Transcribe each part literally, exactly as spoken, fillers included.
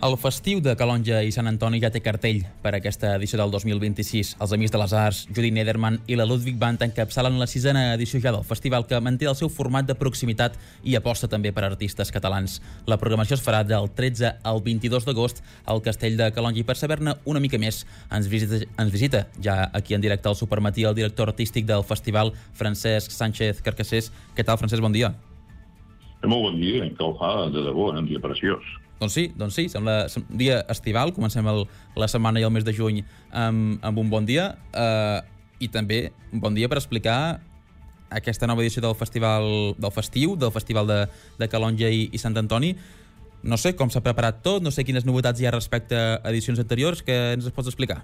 El festiu de Calonge i Sant Antoni ja té cartell per aquesta edició del dos mil vint-i-sis. Els Amics de les Arts, Judit Nederman i la Ludwig Band encapçalen la sisena edició ja del festival, que manté el seu format de proximitat i aposta també per artistes catalans. La programació es farà del tretze al vint-i-dos d'agost al Castell de Calonge, i per saber-ne una mica més ens visita, ens visita ja aquí en directe al Supermatí el director artístic del festival, Francesc Sánchez Carcassés. Què tal, Francesc? Bon dia. Molt bon dia, que ho fa de debò, un dia preciós. Doncs sí, doncs sí, sembla un dia estival. Comencem el, la setmana i el mes de juny amb, amb un bon dia, eh, i també un bon dia per explicar aquesta nova edició del festival del festiu, del festival de, de Calonge i, i Sant Antoni. No sé com s'ha preparat tot, no sé quines novetats hi ha respecte a edicions anteriors, que ens es pots explicar?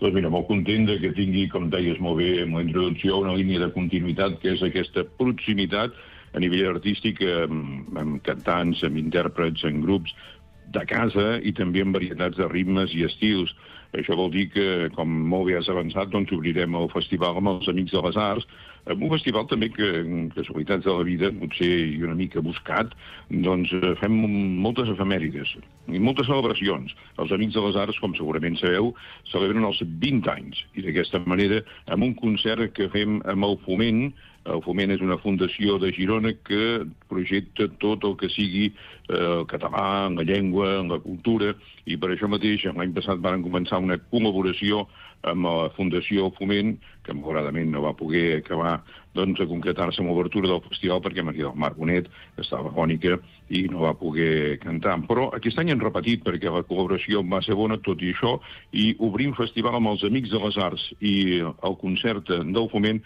Doncs mira, molt content de que tingui, com deies molt bé en la introducció, una línia de continuïtat, que és aquesta proximitat a nivell artístic, amb, amb cantants, amb intèrprets, en grups de casa i també amb varietats de ritmes i estils. Això vol dir que, com molt bé has avançat, doncs obrirem el festival amb els Amics de les Arts, amb un festival també que, casualitats de la vida, potser i una mica buscat, doncs fem moltes efemèrides i moltes celebracions. Els Amics de les Arts, com segurament sabeu, celebren els vint anys, i d'aquesta manera, amb un concert que fem amb el Foment. El Foment és una fundació de Girona que projecta tot el que sigui eh, el català, en la llengua, en la cultura, i per això mateix l'any passat van començar una col·laboració amb la Fundació Foment, que malauradament no va poder acabar doncs, a concretar-se amb l'obertura del festival perquè Maria del Mar Bonet estava fònica i no va poder cantar. Però aquest any han repetit perquè la col·laboració va ser bona, tot i això, i obrim festival amb els Amics de les Arts i el concert del Foment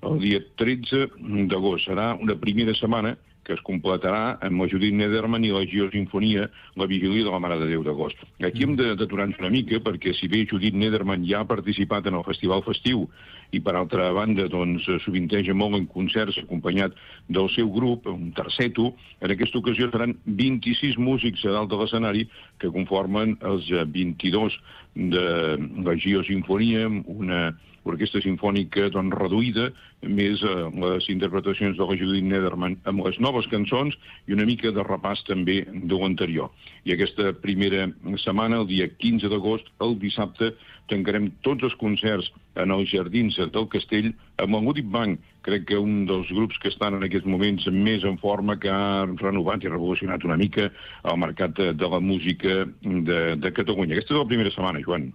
el dia tretze d'agost. Serà una primera setmana que es completarà amb la Judit Nederman i la Geosinfonia, la vigília de la Mare de Déu d'agost. Aquí hem d'aturar-nos una mica, perquè si bé Judit Nederman ja ha participat en el Festival Festiu i, per altra banda, doncs, sovinteja molt en concerts acompanyat del seu grup, un terceto, en aquesta ocasió seran vint-i-sis músics a dalt de l'escenari que conformen els vint-i-dos de la Geosinfonia, una orquestra sinfònica doncs, reduïda, més eh, les interpretacions de la Judit Nederman amb les noves cançons i una mica de repàs també de l'anterior. I aquesta primera setmana, el dia quinze d'agost, el dissabte, tancarem tots els concerts en els jardins del Castell amb el Ludwig Band, crec que un dels grups que estan en aquests moments més en forma, que ha renovat i revolucionat una mica el mercat de, de la música de, de Catalunya. Aquesta és la primera setmana, Joan.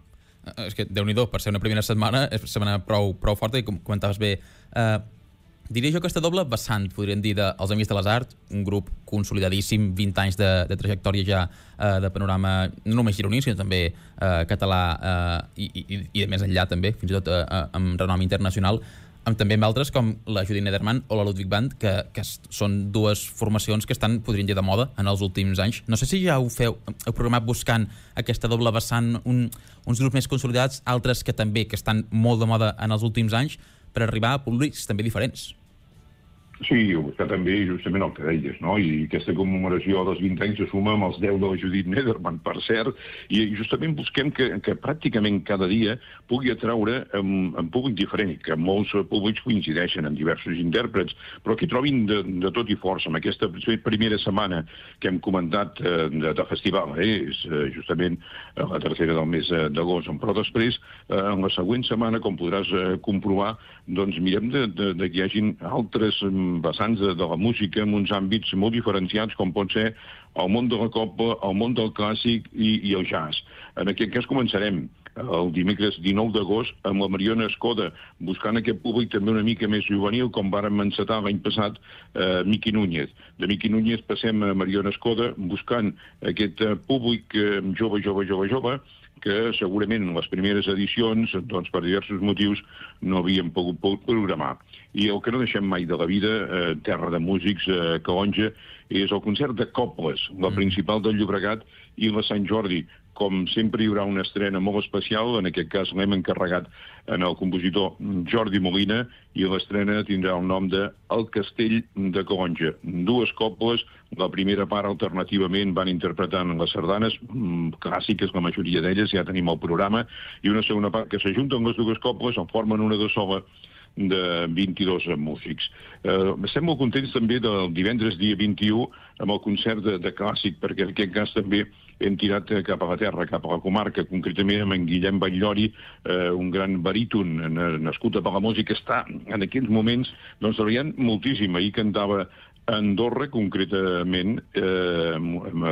És que, Déu-n'hi-do, per ser una primera setmana, és una setmana prou, prou forta, i com comentaves bé, eh, diria jo aquesta doble vessant, podríem dir, dels Amics de les Arts, un grup consolidadíssim, vint anys de, de trajectòria ja eh, de panorama, no només gironí, sinó també eh, català eh, i, i, i de més enllà també, fins i tot eh, amb renom internacional, amb també amb altres com la Judit Nederman o la Ludwig Band, que, que són dues formacions que estan, podríem dir, de moda en els últims anys. No sé si ja ho feu, heu programat buscant aquesta doble vessant, un, uns grups més consolidats, altres que també que estan molt de moda en els últims anys, per arribar a públics també diferents. Sí, ho està també justament el que deies, no? I aquesta commemoració dels vint anys se suma amb els deu de la Judit Nederman, per cert, i justament busquem que, que pràcticament cada dia pugui atraure amb, amb públic diferent, que molts públics coincideixen amb diversos intèrprets, però que trobin de, de tot i força. En aquesta primera setmana que hem comentat eh, de, de festival, eh, és eh, justament eh, la tercera del mes eh, d'agost, però després, eh, en la següent setmana, com podràs eh, comprovar, doncs mirem de, de, de que hi hagin altres vessants de, de la música en uns àmbits molt diferenciats, com pot ser el món de la copla, el món del clàssic i, i el jazz. En aquest cas començarem el dimecres dinou d'agost amb la Mariona Escoda, buscant aquest públic també una mica més juvenil, com vàrem encetar l'any passat eh, Miqui Núñez. De Miqui Núñez passem a Mariona Escoda, buscant aquest eh, públic eh, jove, jove, jove, jove, que segurament en les primeres edicions, doncs, per diversos motius, no havíem pogut programar. I el que no deixem mai de la vida, eh, terra de músics, eh, Calonge, és el concert de Cobles, la principal del Llobregat i la Sant Jordi. Com sempre hi haurà una estrena molt especial, en aquest cas l'hem encarregat en el compositor Jordi Molina, i l'estrena tindrà el nom de El Castell de Calonge. Dues cobles, la primera part alternativament van interpretant les sardanes, clàssiques la majoria d'elles, ja tenim el programa, i una segona part que s'ajunten les dues cobles, en formen una de sola, de vint-i-dos músics. Eh, estem molt contents també del divendres dia vint-i-u amb el concert de, de clàssic, perquè en aquest cas també hem tirat cap a la terra, cap a la comarca, concretament amb en Guillem Batllori, eh, un gran baríton nascut a Palamós i que està en aquests moments doncs, treballant moltíssim. Ahir cantava a Andorra, concretament, eh, amb,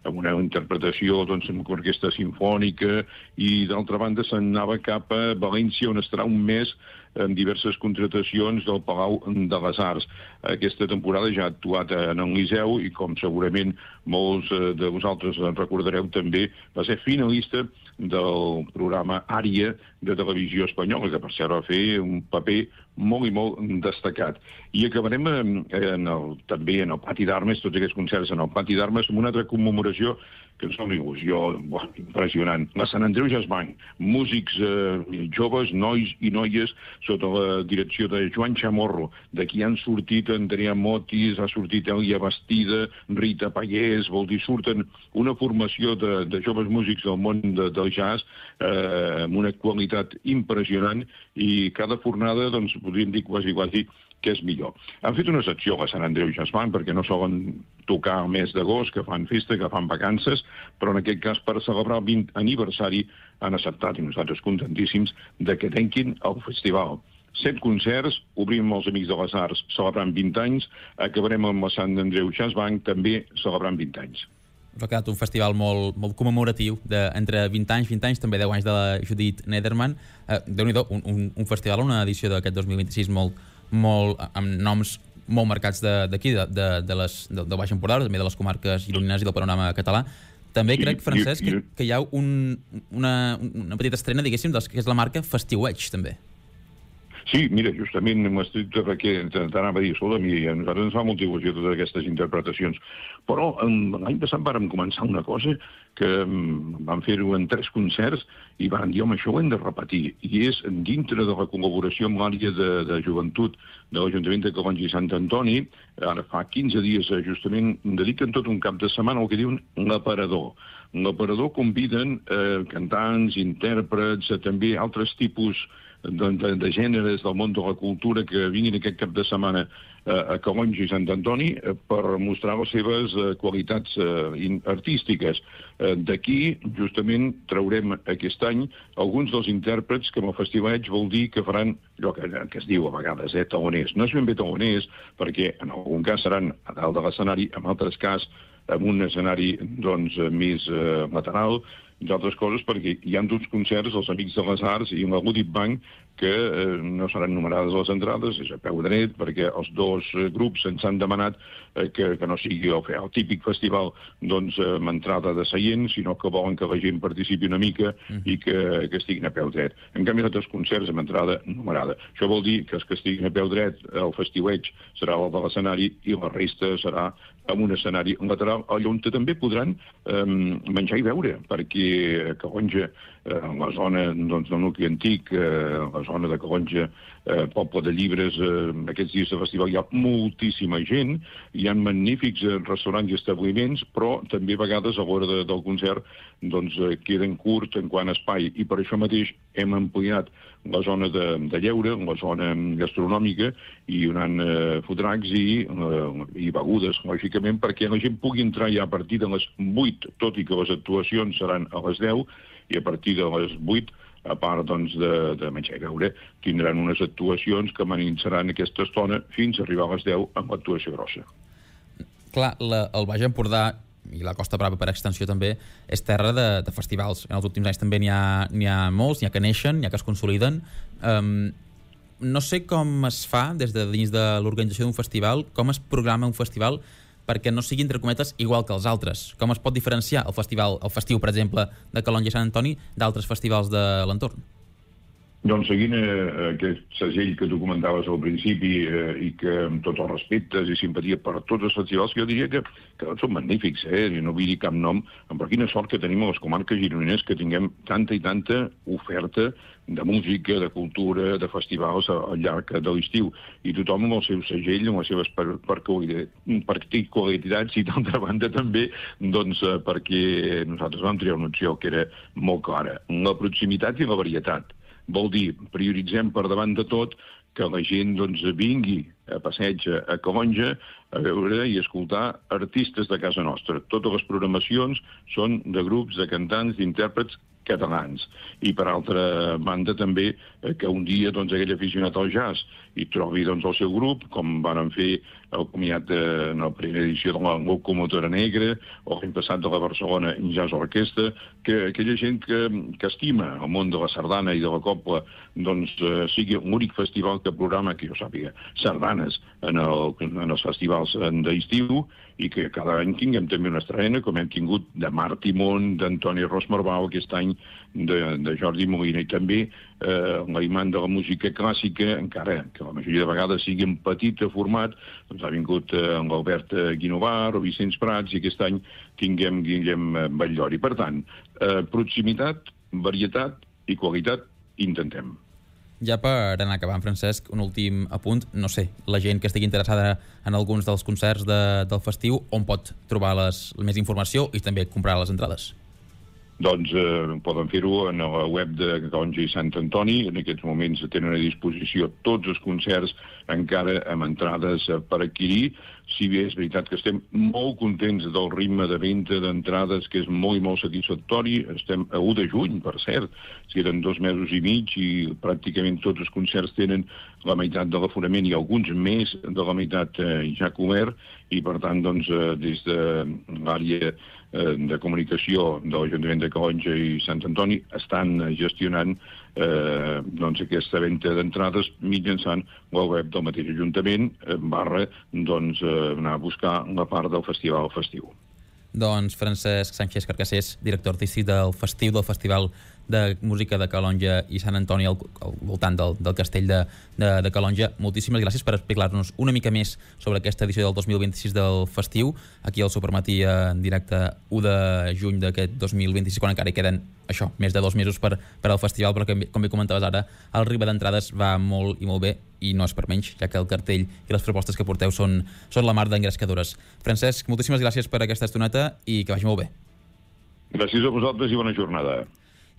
amb una interpretació doncs, amb orquestra sinfònica, i d'altra banda se'n anava cap a València, on estarà un mes en diverses contratacions del Palau de les Arts. Aquesta temporada ja ha actuat en el Liceu i, com segurament molts de vosaltres recordareu també, va ser finalista del programa Ària de Televisió Espanyola, que per cert va fer un paper molt i molt destacat. I acabarem en el, també en el Pati d'Armes, tots aquests concerts en el Pati d'Armes, amb una altra commemoració que ens fa una il·lusió buah, impressionant. La Sant Andreu Jazz Band, músics eh, joves, nois i noies, sota la direcció de Joan Chamorro. D'aquí han sortit Andrea Motis, ha sortit Elia Bastida, Rita Pallés, vol dir, surten una formació de, de joves músics del món de, del jazz eh, amb una qualitat impressionant, i cada fornada, doncs, podríem dir quasi, quasi que és millor. Han fet una secció a Sant Andreu Jazz Band perquè no solen tocar el mes d'agost, que fan festa, que fan vacances, però en aquest cas per celebrar el vint aniversari han acceptat, i nosaltres contentíssims, de que tanquin el festival. Set concerts, obrim amb els Amics de les Arts celebrant vint anys, acabarem amb la Sant Andreu Jazz Band també celebrant vint anys. Ha quedat un festival molt, molt commemoratiu, de, entre vint anys, vint anys, també deu anys de la Judit Nederman. Eh, Déu-n'hi-do, un, un, un festival, una edició d'aquest dos mil vint-i-sis molt, molt, amb noms molt marcats d'aquí, de, de, de les, de, del Baix Empordà, també de les comarques gironines i del panorama català. També sí, crec, Francesc, que, que hi ha un, una, una petita estrena, diguéssim, que és la marca Festiueig, també. Sí, mira, justament m'estic t'anava a dir, escolta, a nosaltres ens fa molta il·lusió totes aquestes interpretacions, però l'any passat vàrem començar una cosa que vam fer-ho en tres concerts i vàrem dir, home, això ho hem de repetir, i és dintre de la col·laboració amb l'àrea de, de joventut de l'Ajuntament de Calonge i Sant Antoni. Ara fa quinze dies justament dediquen tot un cap de setmana al que diuen l'aparador. L'aparador conviden eh, cantants, intèrprets, eh, també altres tipus De, de, de gèneres del món de la cultura que vinguin aquest cap de setmana eh, a Calonge i Sant Antoni eh, per mostrar les seves eh, qualitats eh, artístiques. Eh, D'aquí, justament, traurem aquest any alguns dels intèrprets que amb el Festiueig vol dir que faran allò que, que es diu a vegades, eh, taloners. No és ben bé taloners, perquè en algun cas seran a dalt de l'escenari, en altres cas amb un escenari doncs, més eh, lateral, entre altres coses perquè hi ha dos concerts, els Amics de les Arts i la Goodip Bank, que eh, no seran numerades les entrades, és a peu dret, perquè els dos eh, grups ens han demanat eh, que, que no sigui el, el típic festival doncs, eh, amb entrada de seient, sinó que volen que la gent participi una mica mm. i que, que estiguin a peu dret. En canvi, els altres concerts amb entrada numerada. Això vol dir que els que estiguin a peu dret, el Festiueig serà el de l'escenari i la resta serà amb un escenari lateral, on també podran eh, menjar i beure, perquè a Calonge, eh, en la zona doncs, del nucli antic, eh, la zona de Calonge, eh, poble de llibres, eh, aquests dies de festival hi ha moltíssima gent, hi ha magnífics eh, restaurants i establiments, però també a vegades a l'hora de, del concert doncs, eh, queden curts en quant a espai, i per això mateix hem ampliat la zona de, de lleure, la zona gastronòmica, i donant eh, fotracs i, eh, i begudes, lògicament, perquè la gent pugui entrar ja a partir de les vuit, tot i que les actuacions seran a les deu, i a partir de les vuit, a part doncs, de, de menjar i beure, tindran unes actuacions que manitzaran aquesta estona fins a arribar a les deu amb l'actuació grossa. Clar, la, el Baix Empordà i la Costa Brava per extensió també és terra de, de festivals. En els últims anys també n'hi ha, n'hi ha molts, n'hi ha que neixen, n'hi ha que es consoliden. Um, no sé com es fa des de dins de l'organització d'un festival, com es programa un festival perquè no sigui, entre cometes, igual que els altres. Com es pot diferenciar el festival, el festiu, per exemple, de Calonge i Sant Antoni d'altres festivals de l'entorn? Doncs seguint eh, aquest segell que tu comentaves al principi eh, i que amb tots els respectes i simpatia per tots els festivals, jo diria que, que tots són magnífics, eh? I no vull dir cap nom, però quina sort que tenim a les comarques gironines que tinguem tanta i tanta oferta de música, de cultura, de festivals al llarg de l'estiu. I tothom amb el seu segell, amb les seves particularitats i d'altra banda també doncs, eh, perquè nosaltres vam triar una opció que era molt clara, la proximitat i la varietat. Vol dir, prioritzem per davant de tot que la gent doncs, vingui a passeig a Calonge a veure i escoltar artistes de casa nostra. Totes les programacions són de grups, de cantants, d'intèrprets catalans. I, per altra banda, també que un dia doncs, aquell aficionat al jazz hi trobi doncs, el seu grup, com van fer el comiat en la primera edició de la Locomotora Negra, o l'any passat de la Barcelona Jazz Orquestra, que aquella gent que, que estima el món de la sardana i de la copla doncs, eh, sigui l'únic festival que programa, que jo sàpiga, sardanes en, el, en els festivals d'estiu, i que cada any tinguem també una estrena, com hem tingut de Marc Timon, d'Antoni Ros Marbau, aquest any de, de Jordi Molina, i també eh, l'imant de la música clàssica, encara que la majoria de vegades sigui en petit format, doncs ha vingut eh, l'Albert Guinovar o Vicenç Prats, i aquest any tinguem Guillem Batllori. Per tant, eh, proximitat, varietat i qualitat intentem. Ja per anar acabant, Francesc, un últim apunt. No sé, la gent que estigui interessada en alguns dels concerts de, del festiu, on pot trobar les, més informació i també comprar les entrades? Doncs eh, poden fer-ho en la web de Calonge i Sant Antoni. En aquests moments tenen a disposició tots els concerts encara amb entrades per adquirir. Si bé és veritat que estem molt contents del ritme de venda d'entrades, que és molt i molt satisfactori. Estem a u de juny, per cert. Si eren dos mesos i mig i pràcticament tots els concerts tenen la meitat de l'aforament i alguns més de la meitat eh, ja cobert, i per tant, doncs, eh, des de l'àrea de comunicació de l'Ajuntament de Calonge i Sant Antoni estan gestionant eh, doncs aquesta venda d'entrades mitjançant la web del mateix Ajuntament barra doncs, anar a buscar la part del festival festiu. Doncs Francesc Sánchez Carcassés, director artístic del Festiu, del Festival de Música de Calonge i Sant Antoni al, al voltant del, del castell de, de, de Calonge. Moltíssimes gràcies per explicar-nos una mica més sobre aquesta edició del dos mil vint-i-sis del Festiu, aquí al Supermatí en directe u de juny d'aquest dos mil vint-i-sis, quan encara hi queden això, més de dos mesos per, per al festival, però que, com bé comentaves ara, el ritme d'entrades va molt i molt bé, i no és per menys, ja que el cartell i les propostes que porteu són, són la mar d'engrescadores. Francesc, moltíssimes gràcies per aquesta estoneta i que vagi molt bé. Gràcies a vosaltres i bona jornada.